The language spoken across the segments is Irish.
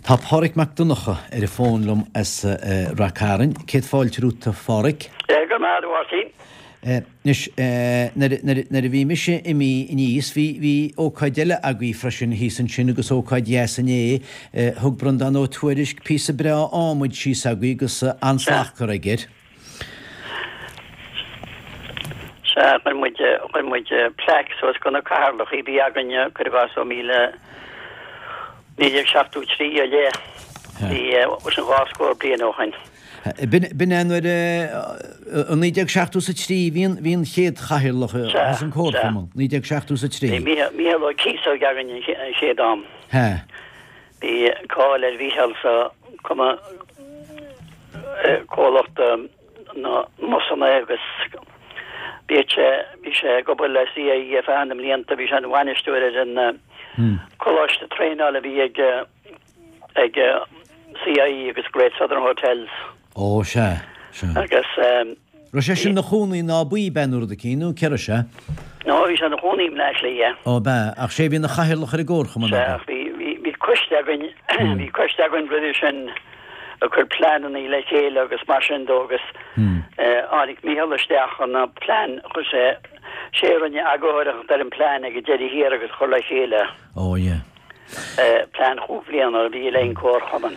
Tá Pádhraic Mac Donncha ar an bhfón liom as Rath Cairn. Céad fáilte romhat, a Phádhraic. Go raibh maith agat, a Mháirtín. Anois, nuair a bhí mise imithe aníos, bhí, bhí ócáid eile agaibh freisin thíos ansin agus ócáid dheas inné. Thug Breandán Ó Tuairisg píosa breá adhmaid síos agaibh agus an-slacht curtha aige air. Sea, chuir muid, chuir muid plaic suas do na cathaoirleacha a bhí againne, cuir i gcás ó míle, 1973 i leith. Bhí, sin dhá scór bliain ó shoin. B'in é nuair a, i 1973 bhí an, bhí an chéad chathaoirleach as an Comharchumann, 1973. Bhí Mícheál Ó Cíosóig againn an chéad am. Sea. Bhí cáil ar Mhícheál sa cumann comhlacht na mbusanna agus bhí sé bhí sé ag obair le CIE ar feadh na mblianta, bhí sé ina bhainisteoir ar an coláiste traenála a bhí ag ag CIE agus Great Southern Hotels. Ó, sea, sea. Agus. Raibh sé sin 'na chónaí in Áth Buí, b'ea, nó rud eicínt, nó cé raibh sé? No, bhí sé 'na chónaí i mBleá Cliath. Ó, b'ea, ach sé a bhí 'na chathaoirleach ar an gcomharchumann Sea, ach bhí, bhí, bhí coiste againn, bhí coiste againn roimhe sin ag cur pleananna le chéile agus mar sin dó agus tháinig Mícheál isteach chun an plean, chuir sé, sé a rinne eagarthóireacht ar an plean ag an deireadh thiar agus chur le chéile. Ó, yeah. Plean chúig bhliana a bhí le an Comharchumann.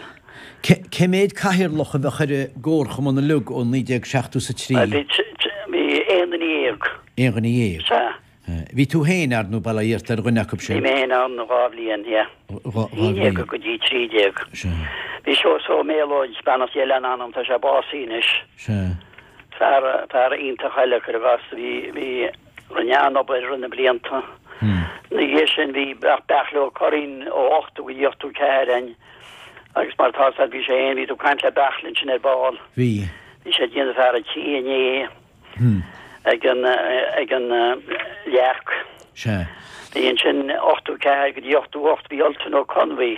Cé mhéad cathaoirleach a bheadh ar an gComharchumann uilig ó 1973? Bhí aon duine dhéag. Aon dhuine dhéag? Sea. Bhí tú féin, ar ndóigh, bail ó Dhia ort, ar dhuine acu sin. Bhí mé féin ann dhá bhliain, yeah. Dhá bhliain. 11 go dtí 13. Sea. Bhí Seosamh Ó Méalóid, beannacht Dé lena anam, tá sé básaithe anois. Sea. Fear, fear iontach eile, cuir i gcás, bhí, bhí, Rinne an-obair i rith na blianta. Ina dhiaidh sin bhí Beairtle Ó Curraoin ó 80 go dtí 84 ann agus mar atá fhios agat bhí sé fhéin, bhí tú ag caint le Beairtle ansin ar ball. Bhí. Bhí sé ag déanamh fear an tí inné ag an ag an Leac. Sea. Bhí ansin 84 go dtí 88 bhí Ultan Ó Conbhuí.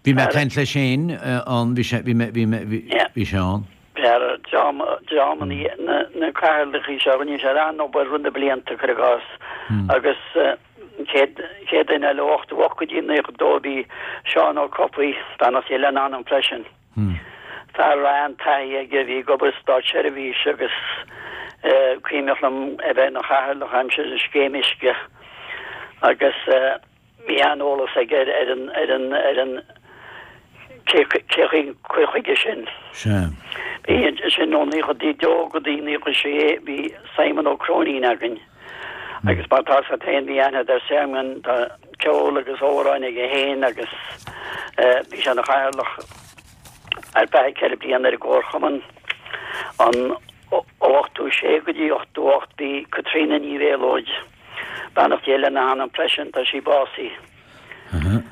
Bhí mé ag caint leis féin ann, bhí sé, bhí mé, bhí mé, bhí sé ann. Fear dream, dream na, na cathaoirleacha seo, rinne siad an-obair i rith na blianta, cuir i gcás, agus an chéad, chéad duine eile ó 88 go dtí 92 bhí Seán Ó Cofaigh, beannacht Dé lena anam freisin. Fear a raibh an-taithí aige, bhí ag obair sa státseirbhís agus cuimhneach liom é bheith ina chathaoirleach aimsir an scéim uisce agus, Bhí an-eolas aige ar an, ar an, ar an, cé, cé chaoi cur chuige sin. Sea. Bhí ansin ó 92 go dtí 96 bhí Simon Ó Cróinín againn. Agus mar atá fhios agat féin bhí aithne ar Simon, tá ceol agus amhráin aige féin agus bhí sé ina chathaoirleach ar feadh ceithre bliana ar an gComharchumann. An ó 86 go dtí 88 bhí Caitríona Ní Mhéalóid. Beannacht Dé lena hanam freisin, tá sí básaithe.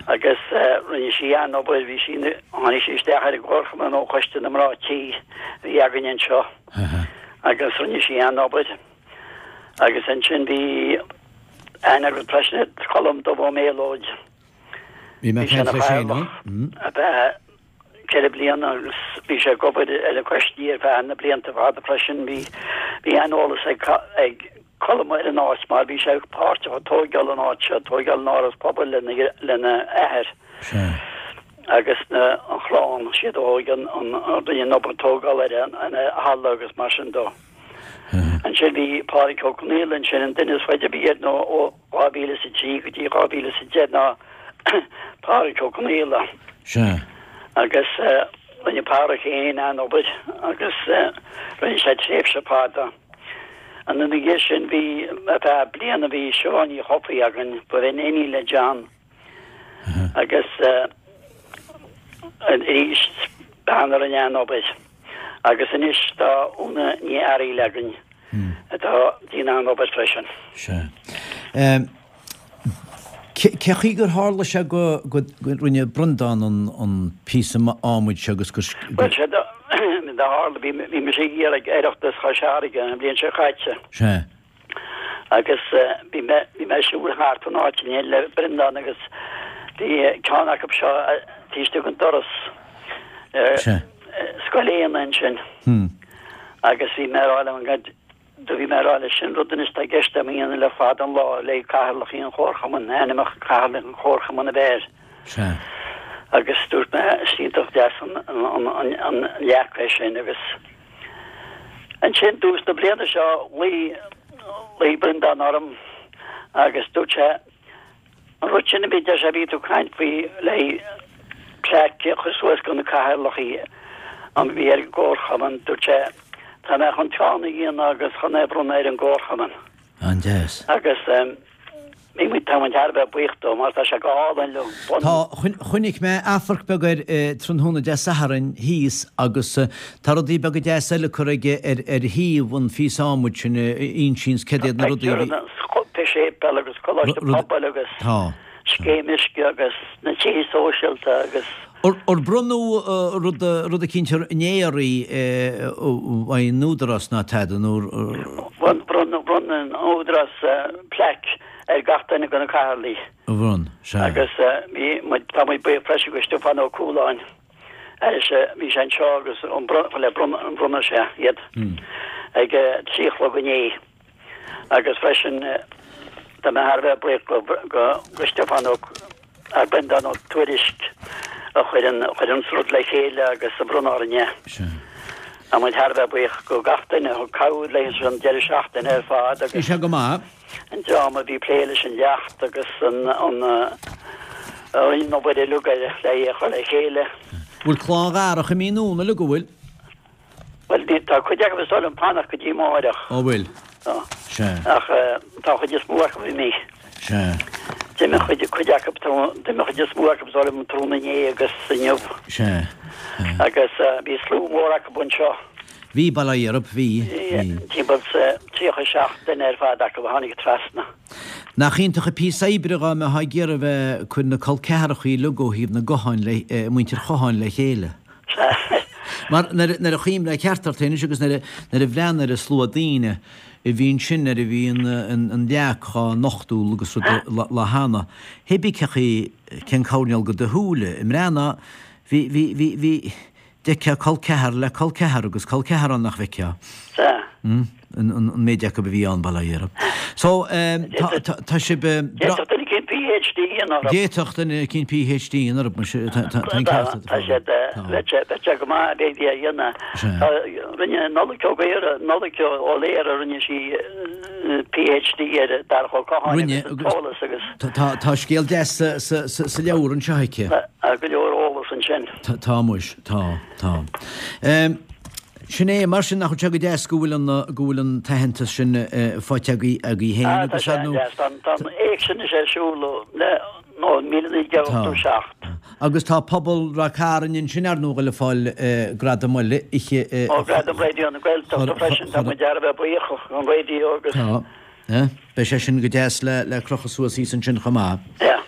Agus rinne sí an-obair, bhí sí, tháinig sí isteach ar an gComharchumann ó Choiste na Mná Tí a bhí againn anseo agus rinne sí an-obair. Agus ansin bhí aithne agat freisin ar Colm Dubh Ó Méalóid. Bhí mé Bhí sé ag ina caint leis féin, chathaoirleach ar feadh ceithre bliana agus bhí sé ag obair ar an choistí ar feadh na blianta fada freisin. Bhí, bhí an-eolas ag, ag Colm ar an áit mar bhí sé páirteach i tóigeáil an áit seo, tóigeáil an áras pobail lena, lena athair agus na, an chlann, siad a thóig an, an, a rinne an obair tógála ar an, an halla agus mar sin dó. Ansin bhí Pádraig Ó Conaola ansin, an duine is faide a bhí air nó ó 2003 go dtí 2010 ná Pádraig Ó Conaola. Sea. Agus rinne Pádraig féin an-obair agus rinne sé tréimhse fada. Ina dhiaidh sin bhí, ar feadh bliana bhí Siobhán Ní Chofaigh againn, ba in iníon le John. Agus arís bean a rinne an-obair. Agus anois tá Úna Ní Fhearghail againn atá ag déanamh an-obair freisin. Sea. Cé chaoi gur tharla sé go rinne Breandán an píosa adhmaid seo agus gur. Bhuel, sé do tharla, bhí mise ag iarraidh Oireachtas Chois Fharraige an bhliain seo caite. Sea. Agus bhí mé, bhí mé ag siúl thart an áit inné le Breandán agus bhí ceann acu seo taobh istigh den doras. Sea. Scoil Éanna ansin. Agus bhí mé ag rá liom, Do bhí mé ag rá leis sin rud anois atá i gceist agam a dhéanamh le fada an lá le cathaoirleach an Chomharchumainn, ainmneacha cathaoirleach an Chomharchumainn a bheith air. Sea. Agus dúirt mé, is iontach deas an leac é sin agus ansin dtús na bliana seo ghlaoigh, ghlaoigh Breandán orm agus dúirt sé, an rud sin a bhí, deir sé, bhí tú ag caint faoi le plaic a chur suas do na cathaoirleachaí a bhí ar an gcomharchumann, dúirt sé, tá mé chun ceann a dhéanamh agus chun é a bhronnadh ar an gcomharchumann. An-deas. Agus bhí muid, tá muid thar a bheith buíoch dó mar tá sé go hálainn liom. Tá, chonaic mé amharc beag air tráthnóna Dé Sathairn thíos agus tá rudaí beaga deasa eile curtha aige ar ar thaobh an phíosa adhmaid sin a insíonns céard iad na rudaí a bhí. Tá séipéal agus coláiste pobail agus scéim uisce agus na tithe sóisialta agus. Ar bronnadh rud rud eicínt inné oraibh ón Údarás ná tada nó? Bhronn bhronn an Údarás plaic ar gach duine de na cathaoirligh. Bhronn, sea. Agus bhí muid tá muid buíoch freisin go Stiofán Ó Cualáin ar sé bhí sé anseo agus an le bronnadh sé iad ag 3 a chlog inné. Agus freisin tá mé thar a bheith buíoch go Stiofán Ó ar Breandán Ó Tuairisg a chuir an chuir an rud le chéile agus a bhronn orainn é. Tá muid thar a bheith buíoch go gach duine a thug cabhair leis an deireadh seachtaine ar fad agus. Bhí sé go maith. An dream a bhí ag plé leis an leacht agus an an a rinne an obair uilig le é a chur le chéile. Bhfuil Clann Dharach imithe anonn uilig, an bhfuil? Bhuel, ní, tá cuid acu is dóigh liom fanacht go dtí amáireach. Ó bhfuil? Tá. Sea. Ach tá an chuid is mó acu imithe. Sea. D'imigh cuid, cuid acu, d'imigh an chuid is mó acu is dóigh liom tráthnóna inné agus inniu. Sea. Agus bhí slua mór acu anseo. Bhí, bail ó Dhia orthu, bhí, bhí. Timpeall 37 duine ar fad acu a tháinig trasna. Nach iontach an píosa oibre dhá mbeifeá ag iarraidh bheith ag cur na col ceathrachaí uilig ó thaobh na gCatháin le, muintir Chatháin le chéile. Mar nuair a chuimhnigh ceart ort anois agus nuair a bhreathnaigh ar an slua daoine a bhí ansin nuair a bhí an leac á nochtadh agus rud lá cheana, hé bí cé chaoi cén coirnéal de do shúile i mbreathnú, bhí, bhí, bhí, bhí, d'fheicfeá col ceathar le col ceathar agus col ceathar ann nach bhfeicfeá. Sea. An méid acu a bhí ann, bail ó Dhia orthu. So, tá sibh. D'fhéadfadh duine eicínt PhD a dhéanamh orthu. D'fhéadfadh duine eicínt PhD a dhéanamh orthu, muise, tá an ceart agat. Tá siad, bheadh sé, bheadh sé go maith b'fhéidir a dhéanamh. Rinne Nollaig Ó Gaora, Nollaig Ó Laoire, rinne sí PhD ar Darach Ó Catháin agus an t-eolas agus. Tá scéal deas sa leabhar anseo aici. Tá go leor eolas ansin. Tá muis, tá, tá. Sin é, mar sin, nach bhfuil sé go deas go bhfuil an, go bhfuil an t-aitheantas sin faighte agaibh, agaibh féin agus Tá sé an-deas. Tá, tá an éigse anois ar siúl ó, le, ó 1987. Agus tá pobal Ráth Cairn ansin ar ndóigh le fáil gradam eile oíche. Ó, Gradam Raidió na Gaeltachta freisin, tá muid thar a bheith buíoch don raidió agus. Tá. Beidh sé sin go deas le, le crochadh suas thíos ansin chomh maith. Yeah.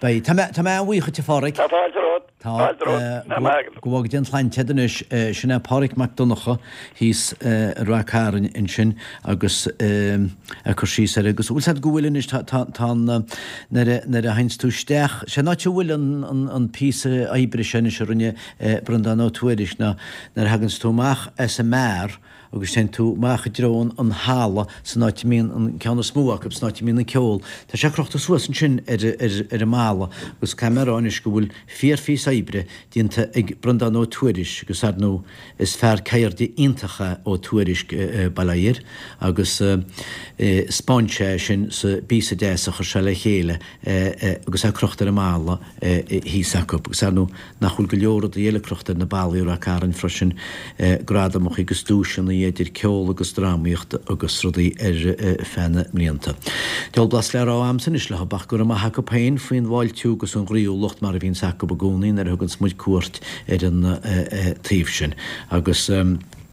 Beidh. Tá mé, tá mé an-bhuíoch duit a Pháraic. Tá fáilte romhat. Tá, go bhfága Dia an tsláinte agat anois. Sin é Páraic Mac Donncha thíos i Ráth Cairn ansin agus ag cur síos air agus bhfuil 's agat go bhfuil anois, tá, tá, tá an, nuair a, nuair a théanns tú isteach, sé an áit a bhfuil an, an, an píosa oibre seo anois a rinne Breandán Ó Tuairisg ná nuair a thaganns tú amach as an mbeár, agus téann tú amach i dtreo an halla san áit a mbíonn an ceann is mó acu, san áit a mbíonn an ceol. Tá sé crochta suas ansin ar ar an mballa agus caithfidh mé a rá anois go bhfuil fíorphíosa oibre déanta ag Breandán Ó Tuairisg agus ar ndóigh is fear ceirde iontach é Ó Tuairisg, bail ó Dhia air, agus 'spáin sé sin sa bpíosa deas a chuir sé le chéile agus é crochta ar an mballa thíos acu. Agus ar ndóigh nach bhfuil go leor rudaí eile crochta ar na ballaí i Ráth Cairn freisin, gradamacha agus duaiseanna idir ceol agus drámaíocht agus rudaí ar feadh na mblianta. Diabhal blas le rá a'msa anois leo ach go raibh maith acu féin faoin bhfáiltiú agus an ghroíúlacht mar a bhíonns acu i gcónaí nuair a thuganns muid cuairt ar an taobh sin. Agus.